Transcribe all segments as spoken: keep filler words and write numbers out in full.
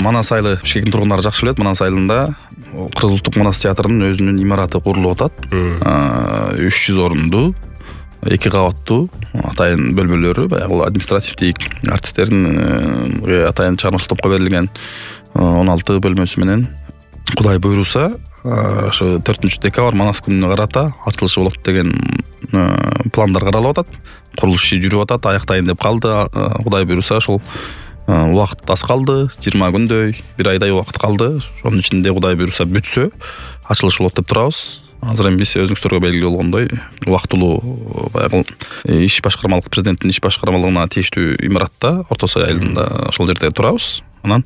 Манас айылы Бишкектин тургундары жакшы билет. Манас айылында Кыргыз улуттук манас театрынын өзүнүн имараты курулуп атат. үч жүз орунду, эки кабаттуу атайын бөлмөлөрү, баягы административдик артисттердин атайын чыгармачылык топко берилген он алты бөлмөсү менен Кудай буйруса ошо төртүнчү декабрь Манас күнүнө карата ачылышы болот деген пландар каралып атат. Курулуш иши жүрүп атат, аяктайын деп калды. Кудай буйруса ошол убакыт аз калды, жыйырма күндөй, бир айдай убакыт калды. Ошонун ичинде Кудай буйруса бүтсө ачылыш болот деп турабыз. Азыр эми биз өзүңүздөргө белгилүү болгондой убактылуу баягы иш башкармалык президенттин иш башкармалыгына тийиштүү имаратта Орто Сай айылында ошол жерде турабыз. Анан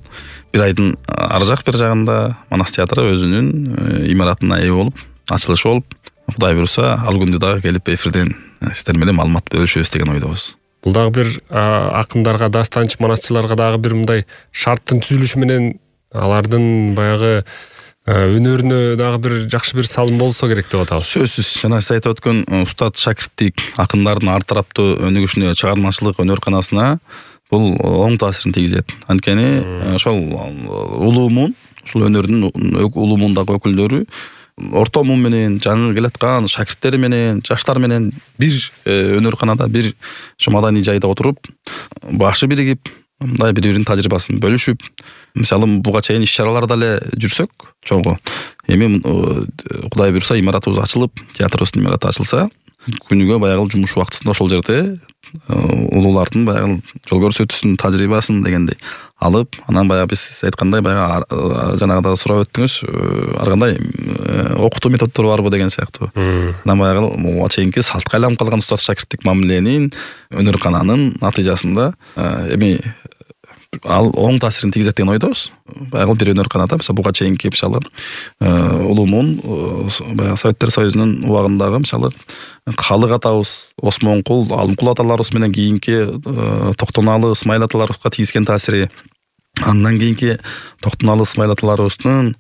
бир айдын ар жак бир жагында Манас театры өзүнүн имаратына ээ болуп, ачылышы болуп, Кудай буйруса ал күндү дагы келип эфирден сиздер менен маалымат бөлүшөбүз деген ойдобуз. Бул дагы бир акындарга, дастанчы манасчыларга дагы бир мындай шарттын түзүлүшү менен алардын баягы өнөрүнө дагы бир жакшы бир салым болсо керек деп атабыз. Сөзсүз, жана сиз айтып өткөн устат шакирттик акындардын ар тараптуу өнүгүшүнө, чыгармачылык өнөр канасына бул оң таасирин тийгизет. Анткени ошол улуумун, ушул өнөрдүн улуумундагы өкүлдөрү орто муун менен, жаңы келаткан шакирттери менен, жаштар менен бир өнөр канада, бир ошо маданий жайда отуруп, башы биригип, мындай бири-биринин тажрыйбасын бөлүшүп, мисалы буга чейин иш-чараларда эле жүрсөк, чогуу эми Кудай буйруса имаратыбыз ачылып, театрыбыздын имараты ачылса, күнүгө баягы жумуш убактысында ошол жерде улуулардын баягы жол көрсөтүүсүн, тажрыйбасын дегендей алып, анан баягы биз айткандай баягы жанагыда сурап өттүңүз, ар кандай окутуу методдору барбы деген сыяктуу. Анан баягы буга чейинки салтка айланып калган устат шакирттик мамиленин өнөр кананын натыйжасында эми ал оң таасирин тийгизет деген ойдобуз. Баягы бир өнөр канада мисалы буга чейинки мисалы улуумун баягы Советтер Союзунун убагындагы мисалы Калык атабыз, Осмонкул, Алымкул аталарыбыз менен кийинки Токтоналы, Ысмайыл аталарыбызга тийгизген таасири, андан кийинки Токтоналы, Ысмайыл аталарыбыздын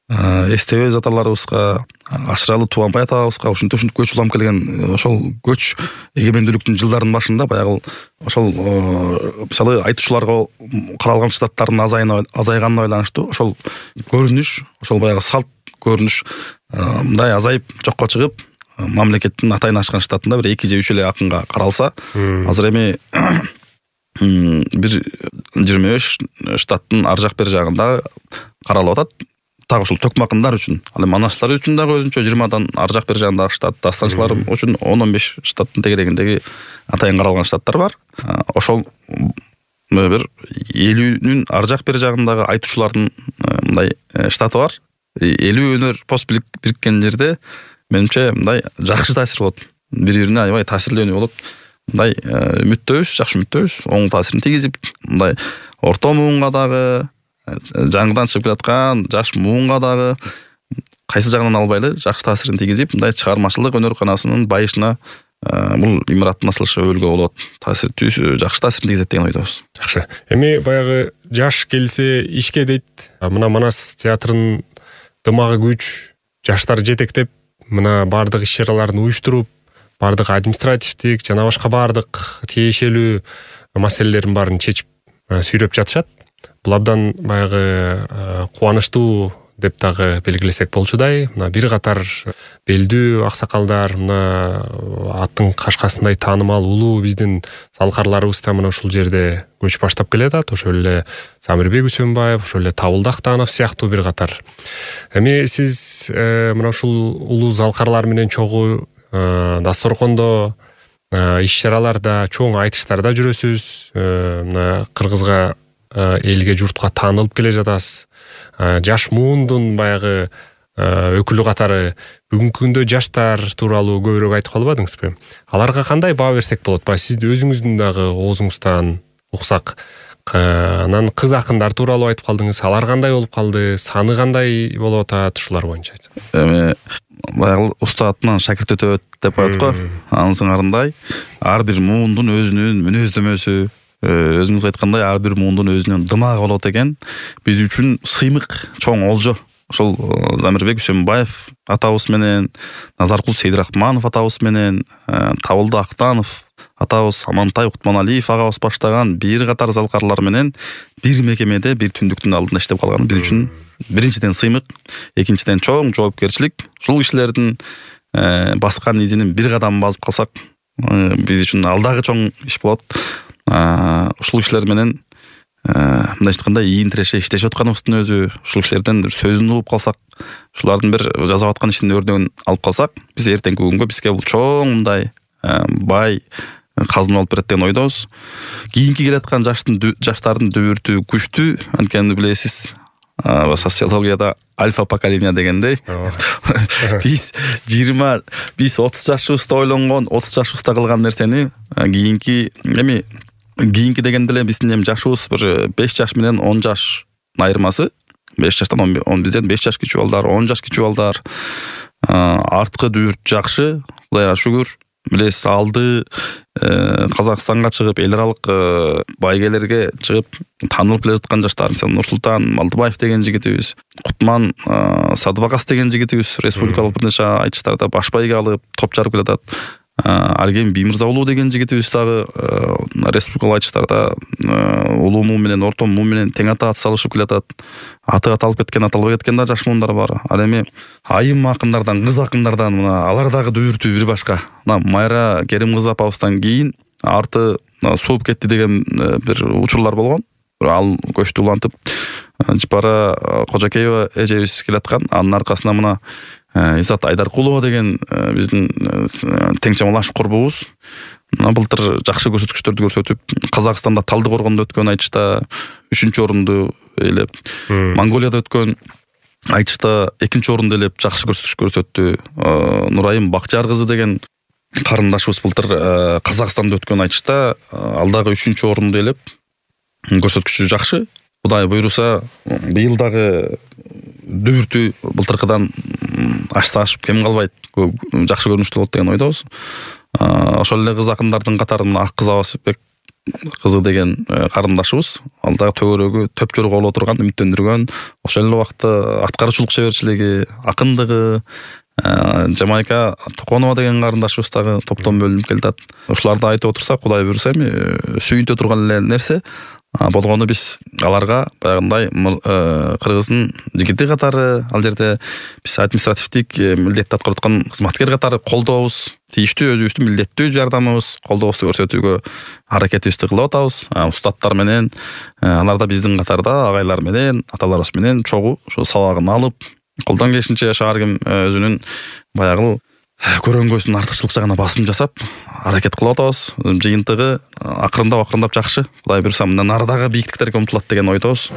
Эстебөз аталарыбызга, Ашыралы Тубанбай атабызга ушинтип ушинтип көч улам келген ошол көч эгемендүүлүктүн жылдарынын башында баягы ошол мисалы айтуучуларга каралган штаттардын азайганына байланыштуу ошол көрүнүш, ошол баягы салт көрүнүш мындай азайып жокко чыгып, мамлекеттин атайын ашкан штатында бир эки же үч эле акынга каралса, азыр эми бир жыйырма беш штаттын ар жак бер жагында каралып атат. Так ушул төкмө акындар үчүн, ал эми манасчылар үчүн дагы өзүнчө жыйырмадан ар жак бер жагында штат, дастанчылар үчүн он он беш штаттын тегерегиндеги атайын каралган штаттар бар. Ошол бир элүүнүн ар жак бер жагындагы айтуучулардын мындай штаты бар. элүү өнөр пост бириккен жерде менимче мындай жакшы таасир болот. Бири-бирине аябай таасирлөөнү болот. Мындай үмүттөбүз, жакшы үмүттөбүз. Оң таасирин тийгизип, мындай орто муунга дагы, жаңыдан чыгып келаткан жаш муунга дагы кайсы жагынан албайлы жакшы таасирин тийгизип, мындай чыгармачылык өнөр канасынын байышына бул имараттын ачылышы өбөлгө болот. Таасир жакшы таасирин тийгизет деген ойдобуз. Жакшы. Эми баягы жаш келсе ишке дейт. Мына Манас театрынын дымагы күч, жаштар жетектеп, мына бардык иш-чараларын уюштуруп, бардык административдик жана башка бардык тиешелүү маселелерин баарын чечип сүйрөп жатышат. Бул абдан баягы кубанычтуу деп дагы белгилесек болчудай. Мына бир катар белдүү аксакалдар, мына аттын кашкасындай таанымал улуу биздин салкарларыбыз да мына ушул жерде көч баштап келатат. Ошол эле Самирбек Үсөнбаев, ошол эле Табылды Актанов сыяктуу бир катар. Эми сиз мына ушул улуу залкарлар менен чогуу дасторкондо, иш-чараларда, чоң айтыштарда жүрөсүз. Мына Кыргызга, элге, журтка таанылып келе жатасыз. Жаш муундун баягы өкүлү катары бүгүнкү күндө жаштар тууралуу көбүрөөк айтып калбадыңызбы? Аларга кандай баа берсек болот? Баягы сиз өзүңүздүн дагы оозуңуздан уксак. Анан кыз акындар тууралуу айтып калдыңыз. Алар кандай болуп калды? Саны кандай болуп атат? Ушулар боюнча айтсак. Эми баягы устатынан шакирт өтөт деп коет го. Анын сыңарындай ар бир муундун өзүнүн мүнөздөмөсү, өзүңүз айткандай ар бир муундун өзүнүн дымагы болот экен. Биз үчүн сыймык, чоң олжо. Ошол Замирбек Үсөнбаев атабыз менен, Назаркул Сейдирахманов атабыз менен, Табылды Актанов атабыз Амантай Утманалиев агабыз баштаган бир катар залкарлар менен бир мекемеде бир түндүктүн алдында иштеп калган бир үчүн биринчиден сыймык, экинчиден чоң жоопкерчилик. Ушул кишилердин баскан изинин бир кадам басып калсак, биз үчүн алдагы чоң иш болот. Ушул кишилер менен мындай айтканда ийин тиреше иштешип атканыбыздын өзү, ушул кишилерден сөзүн угуп калсак, ушулардын бир жасап аткан ишинин өрнөгүн алып калсак, биз эртеңки күнгө бизге бул чоң мындай бай казына болуп берет деген ойдобуз. Кийинки келаткан жаштын жаштардын дүбүртү күчтүү, анткени билесиз, социологияда альфа поколение дегендей. Биз жыйырма, биз отуз жашыбызда ойлонгон, отуз жашыбызда кылган нерсени кийинки эми кийинки дегенде эле биздин эми жашыбыз бир беш жаш менен он жаш айырмасы. беш жаштан он бизден беш жаш кичүү балдар, он жаш кичүү балдар. Арткы дүбүрт жакшы, Кудайга шүгүр. Билесиз, алды Казакстанга чыгып, эл аралык байгелерге чыгып таанылып келе жаткан жаштар, мисалы Нурсултан Малдыбаев деген жигитибиз, Кутман Садыбакас деген жигитибиз республикалык бир нече айтыштарда баш байге алып топ жарып келатат. Арген Биймырза улуу деген жигитибиз дагы республикалык айтыштарда улуу муун менен орто муун менен тең ата салышып келатат. Аты аталып кеткен, аталбай кеткен да жаш муундар бар. Ал эми айым акындардан, кыз акындардан мына алар дагы дүбүртүү бир башка. Мына Майра Керим кызы апабыздан кийин арты сууп кетти деген бир учурлар болгон. Ал көчтү улантып Жыпара Кожокеева эжебиз келаткан. Анын аркасында мына Изат Айдаркулова деген биздин тең чамалаш курбубуз былтыр жакшы көрсөткүчтөрдү көрсөтүп, Казакстанда Талды коргондо өткөн айтышта үчүнчү орунду ээлеп, Монголияда өткөн айтышта экинчи орунду ээлеп жакшы көрсөткүч көрсөттү. Нурайым Бакчар кызы деген карындашыбыз былтыр Казакстанда өткөн айтышта ал дагы үчүнчү орунду ээлеп, көрсөткүчү жакшы. Кудай буйруса, быйыл дагы дүбүртүү былтыркыдан ашса ашып кем калбайт, жакшы көрүнүштүү болот деген ойдобуз. Ошол эле кыз акындардын катарында Ак кыз Абасбек кызы деген карындашыбыз, ал дагы төгөрөгү төп жорго боло турган, үмүттөндүргөн, ошол эле убакта аткарчылык шеберчилиги, акындыгы, Жамайка Токонова деген карындашыбыз дагы топтон бөлүнүп келатат. Ушуларды айтып отурсак, Кудай буйруса, эми сүйүнтө турган эле нерсе болгону биз аларга баягындай кыргыздын жигити катары, ал жерде биз административдик милдетти аткарып аткан кызматкер катары колдообуз, тийиштүү өзүбүздүн милдеттүү жардамыбыз, колдообузду көрсөтүүгө аракетибизди кылып атабыз. Устаттар менен, алар да биздин катарда агайлар менен, аталарыбыз менен чогуу ошо сабагын алып, колдон келишинче шаар ким өзүнүн баягы көрөнгөсүн артыкчылык жагына басым жасап аракет кылып атабыз. Жыйынтыгы акырындап акырындап жакшы. Кудай буйруса мындан ары дагы бийиктиктерге умтулат деген ойдобуз.